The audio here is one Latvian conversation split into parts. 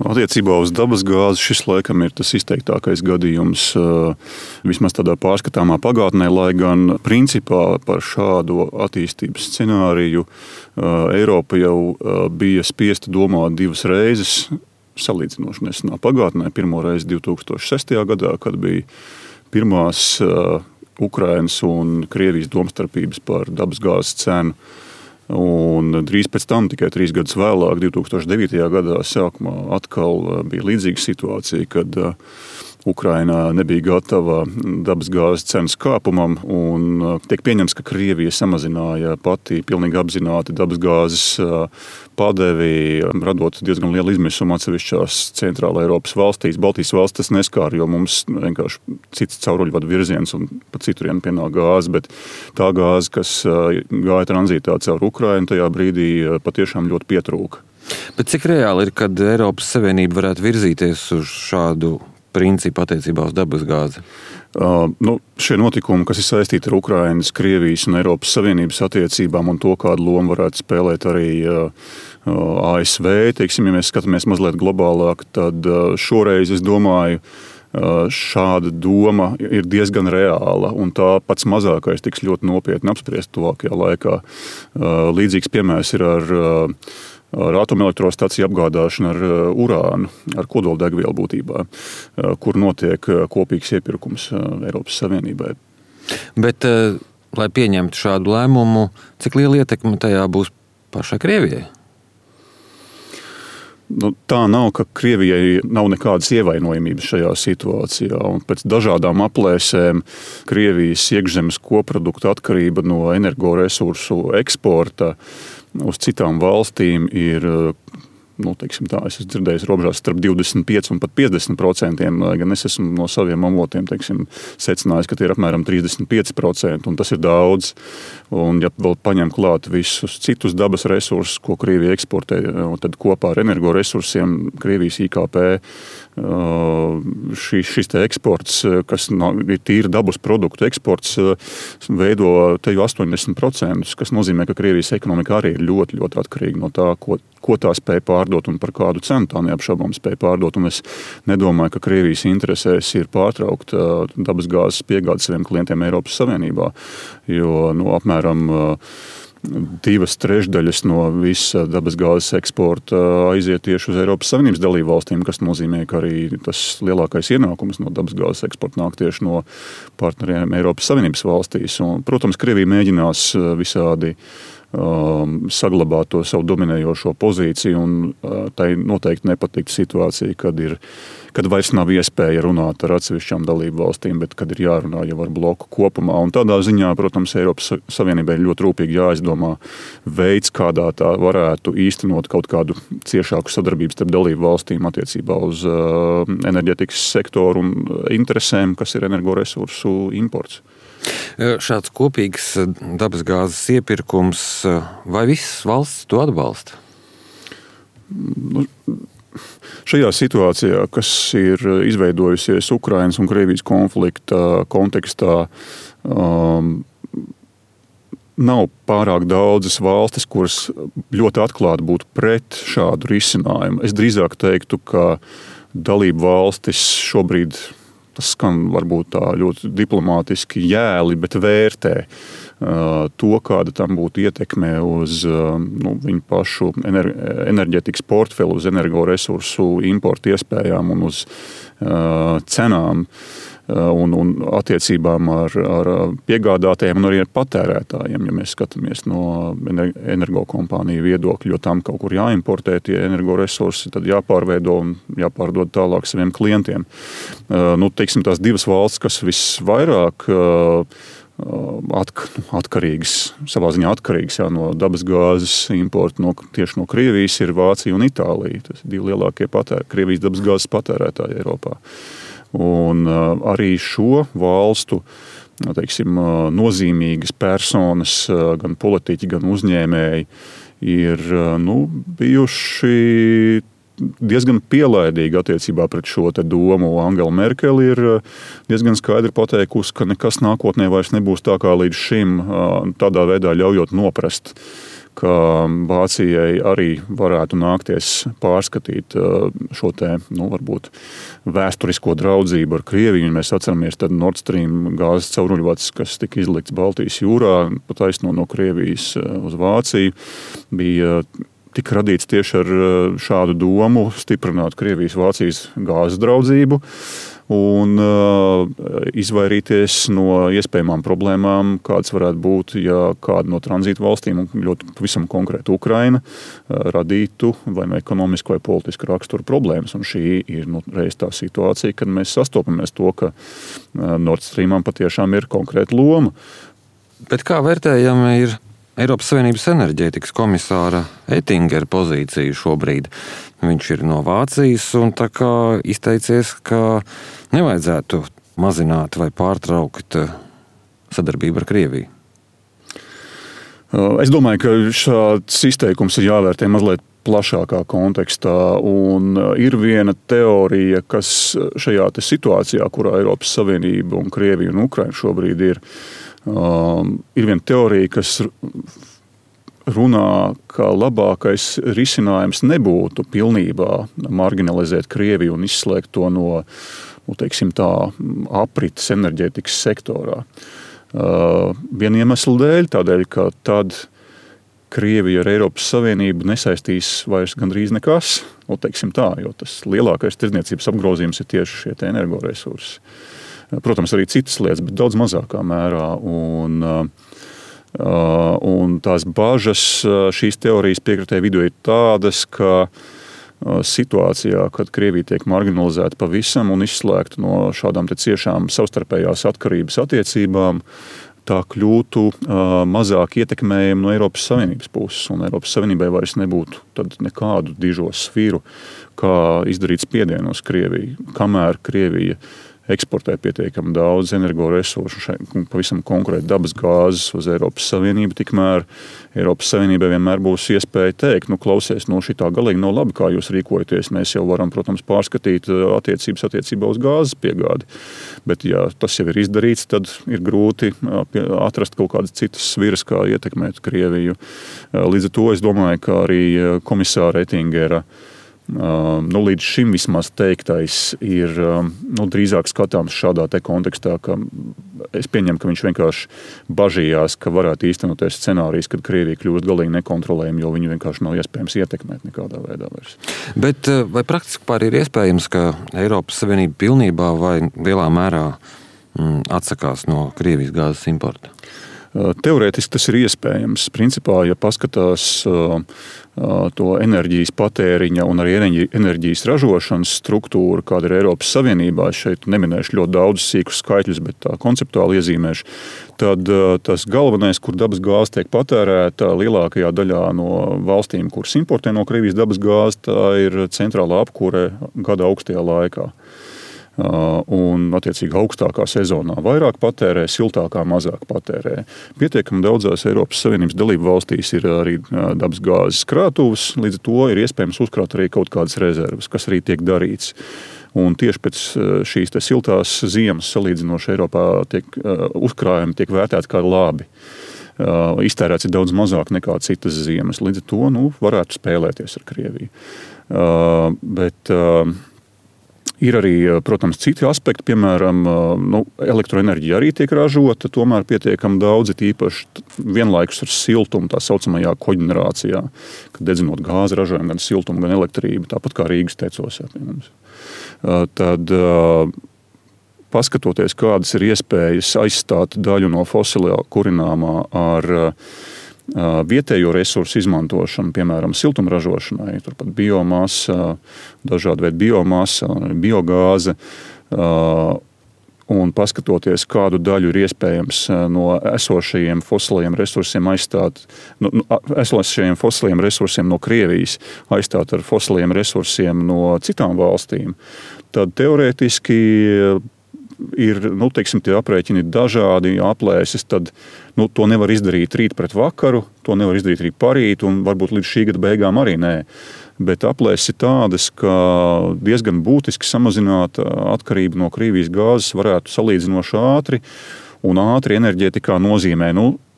Attiecībā uz dabasgāzi šis laikam ir tas izteiktākais gadījums vismaz tādā pārskatāmā pagātnē, lai gan principā par šādu attīstības scenāriju Eiropa jau bija spiesta domāt divas reizes salīdzinoši nesenā pagātnē. Pirmo reizi 2006. gadā, kad bija pirmās Ukrainas un Krievijas domstarpības par dabasgāzes cenu. Un drīz pēc tam, tikai 3 gadus vēlāk, 2009. gadā sākumā atkal bija līdzīga situācija, kad Ukrainā nebija gatava dabasgāzes cenas kāpumam, un tiek pieņemts, ka Krievija samazināja pati pilnīgi apzināti dabasgāzes padevi, radot diezgan lielu izmisumu atsevišķās centrāla Eiropas valstīs. Baltijas valsts tas neskāra, jo mums vienkārši cits cauruļvadu virziens un pa citurien pienāk gāze, bet tā gāze, kas gāja tranzītā caur Ukrainu, tajā brīdī patiešām ļoti pietrūka. Bet cik reāli ir, kad Eiropas Savienība varētu virzīties uz šādu principu attiecībā uz dabasgāzi? Šie notikumi, kas ir saistīti ar Ukrainas, Krievijas un Eiropas Savienības attiecībām un to, kādu lomu varētu spēlēt arī ASV, teiksim, ja mēs skatāmies mazliet globālāk, tad šoreiz, es domāju, šāda doma ir diezgan reāla, un tā pats mazākais tiks ļoti nopietni apspriest tuvākajā laikā. Līdzīgs piemērs ir ar atomelektrostaciju apgādāšanu ar urānu, ar kodoldegvielu būtībā, kur notiek kopīgs iepirkums Eiropas Savienībai. Bet, lai pieņemtu šādu lēmumu, cik liela ietekme tajā būs pašai Krievijai? Tā nav, ka Krievijai nav nekādas ievainojamības šajā situācijā. Un pēc dažādām aplēsēm Krievijas iekšzemes koprodukta atkarība no energoresursu eksporta uz citām valstīm ir, teiksim tā, es esmu dzirdējis robežās starp 25 un pat 50%, lai gan es esmu no saviem avotiem, teiksim, secinājis, ka tie ir apmēram 35%, un tas ir daudz. Un ja vēl paņem klāt visus citus dabas resursus, ko Krievija eksportē, tad kopā ar energoresursiem Krievijas IKP šis te eksports, kas ir tīri dabas produktu eksports, veido te jau 80%, kas nozīmē, ka Krievijas ekonomika arī ir ļoti, ļoti atkarīga no tā, ko tā spēj pārdot un par kādu cenu tā neapšaubām spēj pārdot. Un es nedomāju, ka Krievijas interesēs ir pārtraukt dabasgāzes piegādi saviem klientiem Eiropas Savienībā, jo apmēram 2/3 no visa dabasgāzes eksporta aiziet tieši uz Eiropas Savienības dalību valstīm, kas nozīmē, ka arī tas lielākais ienākums no dabasgāzes eksporta nāk tieši no partneriem Eiropas Savienības valstīs. Un, protams, Krievija mēģinās visādi saglabāt to savu dominējošo pozīciju, un tai noteikti nepatīk situācija, kad vairs nav iespēja runāt ar atsevišķām dalību valstīm, bet kad ir jārunā jau ar bloku kopumā. Un tādā ziņā, protams, Eiropas Savienībai ļoti rūpīgi jāizdomā veids, kādā tā varētu īstenot kaut kādu ciešāku sadarbību starp dalību valstīm attiecībā uz enerģetikas sektoru un interesēm, kas ir energoresursu imports. Šāds kopīgs dabasgāzes iepirkums, vai visas valstis to atbalsta? Šajā situācijā, kas ir izveidojusies Ukrainas un Krievijas konflikta kontekstā, nav pārāk daudzas valstis, kuras ļoti atklāti būtu pret šādu risinājumu. Es drīzāk teiktu, ka dalību valstis šobrīd, tas skan varbūt tā ļoti diplomātiski jēli, bet vērtē to, kāda tam būtu ietekme uz viņu pašu enerģetikas portfeli, uz energoresursu importu iespējām un uz cenām un attiecībām ar piegādātājiem un arī ar patērētājiem, ja mēs skatāmies no energokompāniju viedokļa, jo tam kaut kur jāimportē tie energoresursi, tad jāpārveido un jāpārdod tālāk saviem klientiem. Teiksim, tās divas valsts, kas visvairāk atkarīgas, savā ziņā atkarīgas no dabasgāzes importa tieši no Krievijas, ir Vācija un Itālija. Tas ir divi lielākie Krievijas dabasgāzes patērētāji Eiropā. Un arī šo valstu, teiksim, nozīmīgas personas, gan politiķi, gan uzņēmēji, ir bijuši diezgan pielaidīgi attiecībā pret šo te domu. Angela Merkele ir diezgan skaidri pateikusi, ka nekas nākotnē vairs nebūs tā kā līdz šim, tādā veidā ļaujot noprast ka Vācijai arī varētu nākties pārskatīt šo te, varbūt vēsturisko draudzību ar Krieviju. Mēs atceramies tad Nord Stream gāzes cauruļvads, kas tika izlikts Baltijas jūrā, pa taisno no Krievijas uz Vāciju, tika radīts tieši ar šādu domu stiprināt Krievijas-Vācijas gāzes draudzību un izvairīties no iespējamām problēmām, kādas varētu būt, ja kāda no tranzīta valstīm, un ļoti pavisam konkrēti Ukraina, radītu vai ekonomisku vai politisku raksturu problēmas. Un šī ir reiz tā situācija, kad mēs sastopamies to, ka Nord Streamam patiešām ir konkrēta loma. Bet kā vērtējama ir Eiropas Savienības enerģētikas komisāra Ettingera pozīcija šobrīd? Viņš ir no Vācijas un tā kā izteicies, ka nevajadzētu mazināt vai pārtraukt sadarbību ar Krieviju. Es domāju, ka šāds izteikums ir jāvērtē mazliet plašākā kontekstā. Un ir viena teorija, kas šajā situācijā, kurā Eiropas Savienība un Krievija un Ukraina šobrīd ir viena teorija, kas runā, ka labākais risinājums nebūtu pilnībā marginalizēt Krieviju un izslēgt to no, teiksim tā, aprites enerģētikas sektorā. Viena iemesla dēļ, tādēļ, ka tad Krievija ar Eiropas Savienību nesaistīs vairs gandrīz nekas, teiksim tā, jo tas lielākais tirdzniecības apgrozījums ir tieši šie energoresursi. Protams, arī citas lietas, bet daudz mazākā mērā. Un tās bažas šīs teorijas piekritēju vidū ir tādas, ka situācijā, kad Krievija tiek marginalizēta pavisam un izslēgta no šādām ciešām savstarpējās atkarības attiecībām, tā kļūtu mazāk ietekmējama no Eiropas Savienības puses. Un Eiropas Savienībai vairs nebūtu tad nekādu dižo sviru, kā izdarīt spiedienu uz Krieviju, kamēr Krievija eksportē pietiekami daudz energoresursu, pavisam konkrēti dabas gāzes uz Eiropas Savienību, tikmēr Eiropas Savienībai vienmēr būs iespēja teikt, klausies, šitā galīgi nav labi, kā jūs rīkojaties. Mēs jau varam, protams, pārskatīt attiecības attiecībā uz gāzes piegādi. Bet, ja tas jau ir izdarīts, tad ir grūti atrast kaut kādas citas sviras, kā ietekmēt Krieviju. Līdz ar to es domāju, ka arī komisāra Ettingera līdz šim vismaz teiktais ir drīzāk skatāms šādā kontekstā, ka es pieņemu, ka viņš vienkārši bažījās, ka varētu īstenoties scenārijs, kad Krievija kļūst galīgi nekontrolējama, jo viņu vienkārši nav iespējams ietekmēt nekādā veidā vairs. Bet vai praktiski pār ir iespējams, ka Eiropas Savienība pilnībā vai lielā mērā atsakās no Krievijas gāzes importa? Teorētiski tas ir iespējams. Principā, ja paskatās to enerģijas patēriņa un arī enerģijas ražošanas struktūru, kāda ir Eiropas Savienībā, es šeit neminēšu ļoti daudz sīkus skaitļus, bet tā konceptuāli iezīmēšu, tad tas galvenais, kur dabas gāze tiek patērēta lielākajā daļā no valstīm, kuras importē no Krievijas dabas gāzi, tā ir centrālā apkūre gada augstajā laikā. Un, attiecīgi, augstākā sezonā vairāk patērē, siltākā mazāk patērē. Pietiekami daudzās Eiropas Savienības dalību valstīs ir arī dabas gāzes krātuves, līdz ar to ir iespējams uzkrāt arī kaut kādas rezerves, kas arī tiek darīts. Un tieši pēc šīs siltās ziemas salīdzinoši Eiropā uzkrājumi tiek vērtēti kā labi. Iztērēts ir daudz mazāk nekā citas ziemas, līdz ar to varētu spēlēties ar Krieviju. Bet ir arī, protams, citi aspekti, piemēram, elektroenerģija arī tiek ražota, tomēr pietiekami daudz, īpaši vienlaikus ar siltumu, tā saucamajā koģenerācijā, kad dedzinot gāzi ražojam gan siltumu, gan elektrību, tāpat kā Rīgas tecos. Tad, paskatoties, kādas ir iespējas aizstāt daļu no fosilā kurināmā ar vietējo resursu izmantošanu, piemēram, siltumražošanai, turpat biomasa, dažādi veidi biomasa, biogāze, un paskatoties, kādu daļu ir iespējams no esošajiem fosiliem resursiem aizstāt, esošajiem fosiliem resursiem no Krievijas aizstāt ar fosiliem resursiem no citām valstīm, tad teorētiski ir, teiksim, tie aprēķini dažādi, aplēses, tad to nevar izdarīt rīt pret vakaru, to nevar izdarīt rīt parīt, un varbūt līdz šī gada beigām arī nē. Bet aplēses ir tādas, ka diezgan būtiski samazināt atkarību no Krievijas gāzes varētu salīdzinoši ātri, un ātri enerģētikā nozīmē,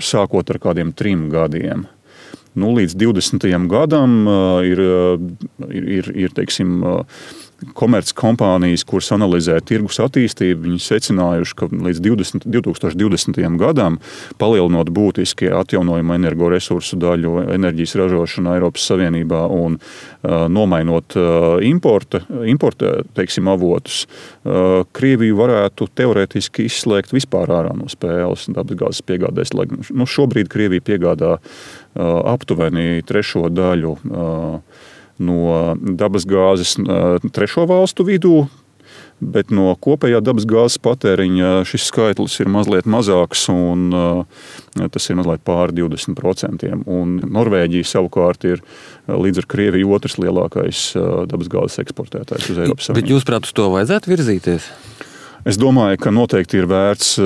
sākot ar kādiem 3 gadiem. līdz 20. gadam ir teiksim, komerckompānijas, kuras analizē tirgus attīstību, viņi secinājuši, ka līdz 2020. gadam, palielinot būtiski atjaunojumu energoresursu daļu enerģijas ražošanā Eiropas Savienībā un nomainot importa teiksim, avotus, Krieviju varētu teorētiski izslēgt vispār ārā no spēles dabasgāzes piegādēs. Šobrīd Krievija piegādā aptuveni trešo daļu no dabasgāzes trešo valstu vidū, bet no kopējā dabasgāzes patēriņa šis skaitlis ir mazliet mazāks, un tas ir mazliet pāri 20%. Un Norvēģija savukārt ir līdz ar Krieviju otrs lielākais dabasgāzes eksportētājs uz Eiropas Savienību. Bet jūs, prāt, uz to vajadzētu virzīties? Es domāju, ka noteikti ir vērts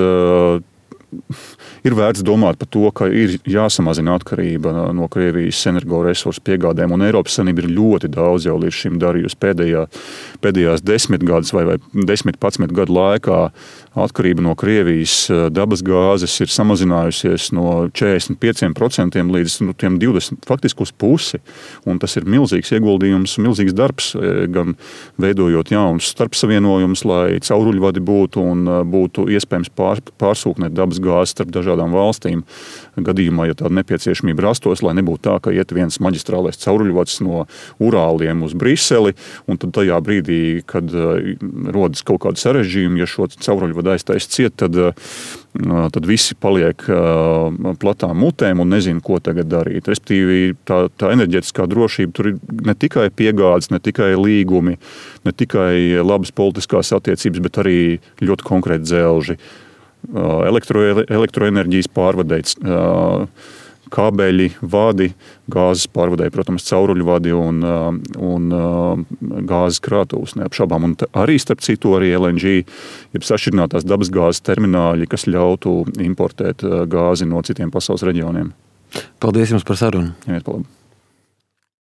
domāt par to, ka ir jāsamazina atkarība no Krievijas energoresursu piegādēm, un Eiropas Savienība ir ļoti daudz jau līdz šim darījusi pēdējās 10 gadus vai 10-11 gadu laikā. Atkarība no Krievijas dabasgāzes ir samazinājusies no 45% līdz tiem 20%, faktiski uz pusi, un tas ir milzīgs ieguldījums, milzīgs darbs, gan veidojot jaunus starpsavienojumus, lai cauruļvadi būtu un būtu iespējams pārsūknēt dabasgāzi starp dažādām valstīm. Gadījumā, ja tāda nepieciešamība rastos, lai nebūtu tā, ka iet viens maģistrālais cauruļvads no Urāliem uz Briseli, un tad tajā brīdī, kad rodas kaut kādi sarežģījumi, ja šo cauruļvadu aiztaisa ciet, tad visi paliek platām mutēm un nezina, ko tagad darīt. Respektīvi, tā enerģetiskā drošība tur ir ne tikai piegādes, ne tikai līgumi, ne tikai labas politiskās attiecības, bet arī ļoti konkrēti dzelži. Elektroenerģijas pārvadēts, kābeļi, vadi, gāzes pārvadēji, protams, cauruļvadi un gāzes krātuves neapšaubām. Un arī, starp citu, arī LNG, jeb sašķirinātās dabasgāzes termināļi, kas ļautu importēt gāzi no citiem pasaules reģioniem. Paldies jums par sarunu. Jā, paldies.